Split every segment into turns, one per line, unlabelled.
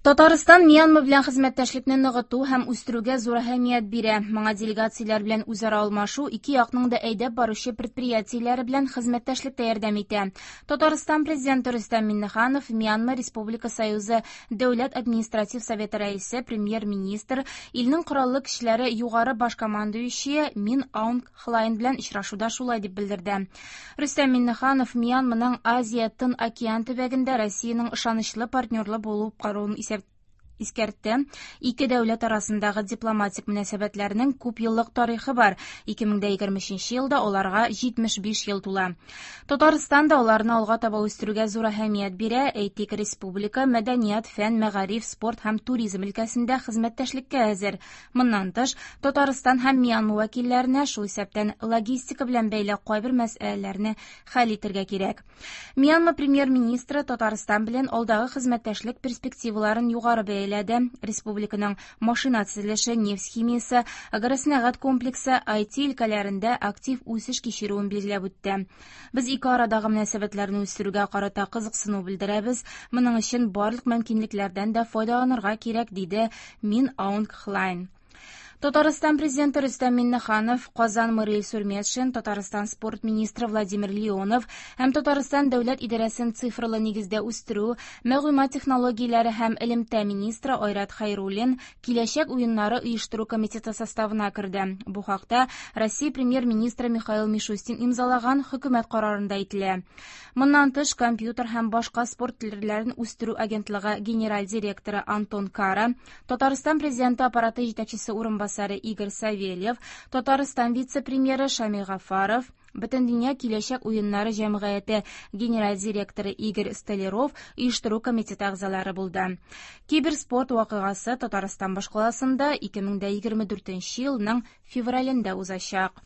Татарстан Мьянма белән хезмәттәшлекне ныгыту һәм үстерүгә зур әһәмият бирә. Моңа делегацияләр белән үзара алмашу ике якның да әйдәп баручы предприятиеләре белән хезмәттәшлектә ярдәм итә. Татарстан Президенты Рөстәм Миңнеханов Мьянма Республика Союзы Дәүләт административ советы рәисе, премьер-министр, илнең кораллы көчләре югары баш командующие Мин Аунг Хлайн белән очрашуда шулай дип белдерде. Рөстәм Миңнеханов Мьянманың Азия-Тын океан төбәгендә Россиянең ышанычлы партнерлы булып каруын исәп искәртте. Ике дәүләт арасындагы дипломатик мөнәсәбәтләрнең күп еллык тарихы бар. 2023 елда аларга 75 ел тула. Татарстан да аларны алга таба үстерүгә зур әһәмият бирә. Әйтик, республика мәдәният, фән, мәгариф, спорт һәм туризм өлкәсендә хезмәттәшлеккә әзер. Моннан тыш, Татарстан һәм Мьянма вәкилләренә, шул исәптән логистика белән бәйле кайбер мәсьәләләрне хәл итергә кирәк. Мьянма премьер-министры Татарстан белән алдагы хезмәттәшлек перспективаларын югары бәяләде. Республиканың машина төзелеше, нефть химиясе, агросәнәгать комплексы, IT өлкәләрендә актив үсеш кичерүен билгеләп үтте. Без ике арадагы мөнәсәбәтләрне үстерүгә карата кызыксыну белдерәбез. Моның өчен барлык мөмкинлекләрдән дә файдаланырга кирәк, диде Мин Аунг Хлайн. Татарстан президенты Рөстәм Миннеханов, Казан мэры Илсур Метшин, Татарстан спорт министры Владимир Леонов һәм Татарстан дәүләт идарәсен цифрлы нигездә үстерү, мәгълүмат технологияләре һәм элемтә министры Айрат Хәйруллин Киләчәк уеннары оештыру комитеты составына керде. Бу хакта Россия премьер-министры Михаил Мишустин имзалаган хөкүмәт карарында әйтелә. Моннан тыш, компьютер һәм башка спорт төрләрен үстерү агентлыгы генераль директоры Антон Кара, Татарстан Президенты аппараты җитәкчесе урынбасары Игорь Савельев, Татарстан вице-премьеры Шамил Гафаров, Бөтендөнья киләчәк уеннары җәмгыяте генераль директоры Игорь Столяров оештыру комитеты әгъзалары булды. Киберспорт вакыйгасы Татарстан башкаласында 2024 елның февралендә узачак.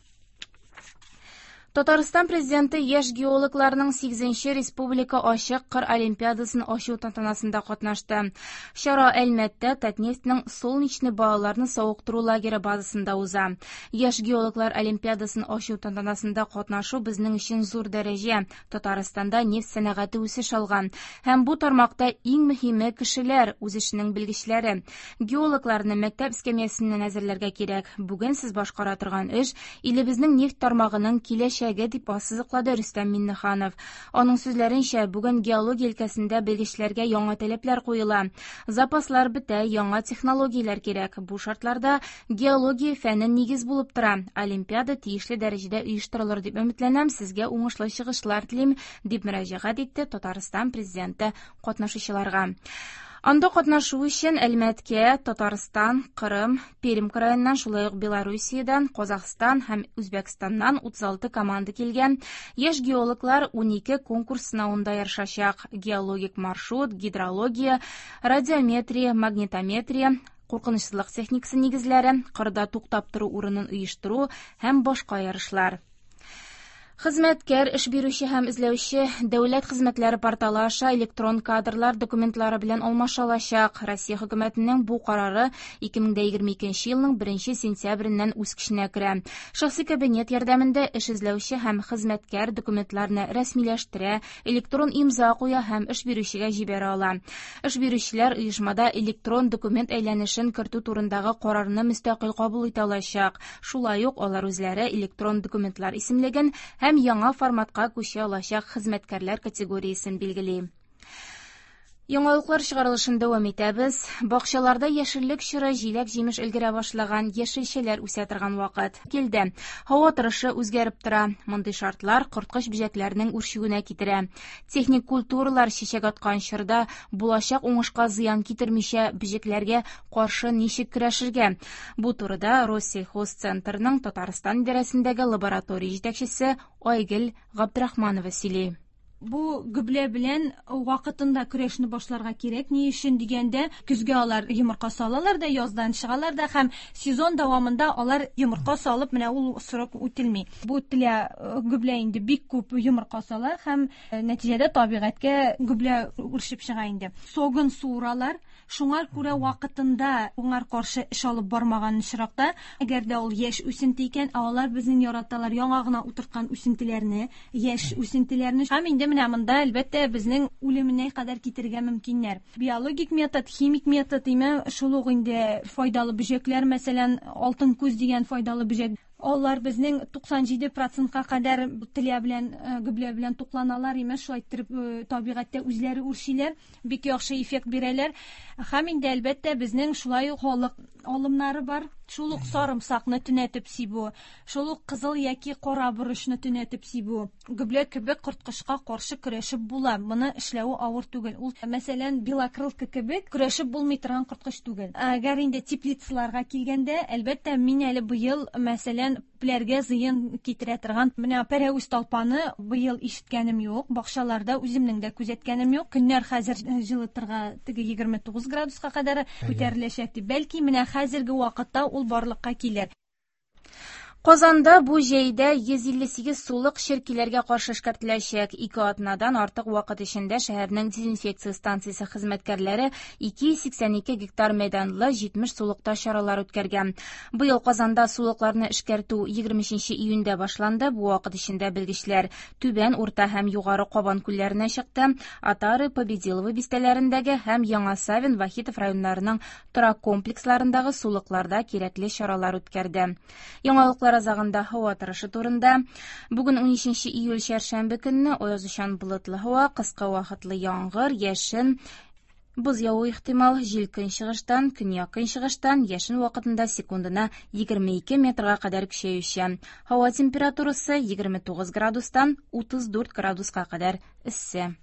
Татарстан Президенты яшь геологларның 8 республика ачык кыр олимпиадасын ачу тантанасында катнашты. Чара Әлмәттә Татнефтьнең Солнечный балаларны савыктыру лагере базасында уза. Яшь геологлар олимпиадасын ачу тантанасында катнашу безнең өчен зур дәрәҗә. Татарстанда нефть сәнәгате үсеш алган. Һәм бу тармакта иң мөһиме кешеләр, үз эшенең белгечләре. Геологларны мәктәп эскәмиясеннән әзерләргә кирәк. Бүген сез башкара торган эш илебезнең нефть тармагының киләчәге, дип ассызыклады Рөстәм Миңнеханов. Аның сүзләренчә, бүген геология өлкәсендә белгечләргә яңа таләпләр куела. Запаслар бетә, яңа технологияләр кирәк. Бу шартларда геология фәне нигез булып тора. Олимпиада тиешле дәрәҗәдә оештырылыр дип өметләнәм, сезгә уңышлы чыгышлар телим, дип мөрәҗәгать итте Татарстан Президенты катнашучыларга. Анда катнашу өчен Әлмәткә Татарстан, Кырым, Пермь краеннан, шулай ук Белоруссиядән, Казахстан һәм Үзбәкстаннан 36 команда килгән. Яшь геологлар 12 конкурс сынавында ярышачак. Геологик маршрут, гидрология, радиометрия, магнитометрия, куркынычсызлык техникасы нигезләре, кырда туктап тору урынын оештыру һәм башка ярышлар. Хезмәткәр, эш бирүче һәм эзләүче дәүләт хезмәтләре порталы аша электрон кадрлар документлары белән алмаша алачак. Россия хөкүмәтенең бу карары 2022 елның 1 сентябреннән үз көченә керә. Шәхси кабинет ярдәмендә эш эзләүче һәм хезмәткәр документларны рәсмиләштерә, электрон имза куя һәм эш бирүчегә җибәрә ала. Эш бирүчеләр оешмада электрон документ әйләнешен кертү турындагы карарны мөстәкыйль кабул итә алачак. Шулай ук алар үзләре электрон документлар исемлеген һәм яңа форматка күчә алачак хезмәткәрләр категориясен билгели. Яңалыклар чыгарылышын дәвам итәбез. Бакчаларда яшеллек чоры җиләк-җимеш өлгерә башлаган, яшелчәләр үсә торган вакыт килде. Һава торышы үзгәреп тора. Мондый шартлар корткыч бөҗәкләрнең үрчүенә китерә. Техник культуралар чәчәк аткан чорда булачак уңышка зыян китермичә бөҗәкләргә каршы ничек көрәшергә? Бу турыда Россельхозцентрның Татарстан идарәсендәге лаборатория җитәкчесе Айгөл Габдрахманова сөйли.
Бу гөблә белән вакытында көрәшне башларга кирәк. Ни өчен дигәндә, көзгә алар йомырка салалар да, яздан чыгалар да һәм сезон дәвамында алар йомырка салып, менә ул срок үтелми. Бу тля э, гөблә инде бик күп йомырка сала һәм э, нәтиҗәдә табигатькә гөблә үрчеп чыга инде. Согын суыралар. Шуңар күрә вакытында уңар каршы эш алып бармаган очракта, әгәр дә ул яшь үсенте икән, ә алар безнең яраталар яңа гына утырткан үсентеләрне, яшь үсентеләрне. Һәм инде менә менә монда, әлбәттә, безнең үлеменә кадәр китерергә мөмкиннәр. Биологик метод, химик метод, име, шул ук инде файдалы бөҗәкләр, мәсәлән, алтын күз дигән файдалы бөҗәк. Алар безнең 97 процентка кадәр тля белән, гөблә белән тукланалар, имеш, шулай иттереп табигатьтә үзләре үрчиләр, бик яхшы эффект бирәләр. Һәм инде, әлбәттә, безнең шулай ук халык алымнары бар. Шул ук сарымсакны төнәтеп сибү, шул ук кызыл яки кара борычны төнәтеп сибү. Гөблә кебек корткычка каршы көрәшеп була. Моны эшләве авыр түгел. Ул, мәсәлән, белокрылка кебек көрәшеп булмый торган корткыч түгел. Әгәр инде теплицаларга килгәндә, әлбәттә, мин әле быел, мәсәлән, күпләргә зыян китерә торган менә пәрәвез талпаны быел ишеткәнем юк. Бакчаларда үземнең дә күзәткәнем юк. Көннәр хәзер җылытырга теге 29 градуска кадәр күтәреләчәк дип. Бәлки менә хәзерге вакытта ул барлыкка килер.
Казанда бу җәйдә 158 сулык черкиләргә каршы эшкәртеләчәк. 2 атнадан артык вакыт эчендә шәһәрнең дезинфекция станциясе хезмәткәрләре 282 гектар мәйданлы 70 сулыкта чаралар үткәргән. Быел Казанда сулыкларны эшкәртү 23 июньдә башланды. Бу вакыт эчендә белгечләр Түбән, Урта һәм Югары Кабан күлләренә чыкты. Атары, Победилово бистәләрендәге һәм Яңа Савин, Вахитов районнарының торак комплексларындагы сулыкларда кирәкле чаралар үткәрде. Яңалыклар азагында һава торышы турында. Бүген 13 июль чәршәмбе көнне аязучан болытлы һава, кыска вакытлы яңгыр, яшен, боз явуы ихтимал, җил көнчыгыштан, көньяк-көнчыгыштан, яшен вакытында секундына 22 метрга кадәр көчәючән. Һава температурасы 29 градустан 34 градуска кадәр эссе.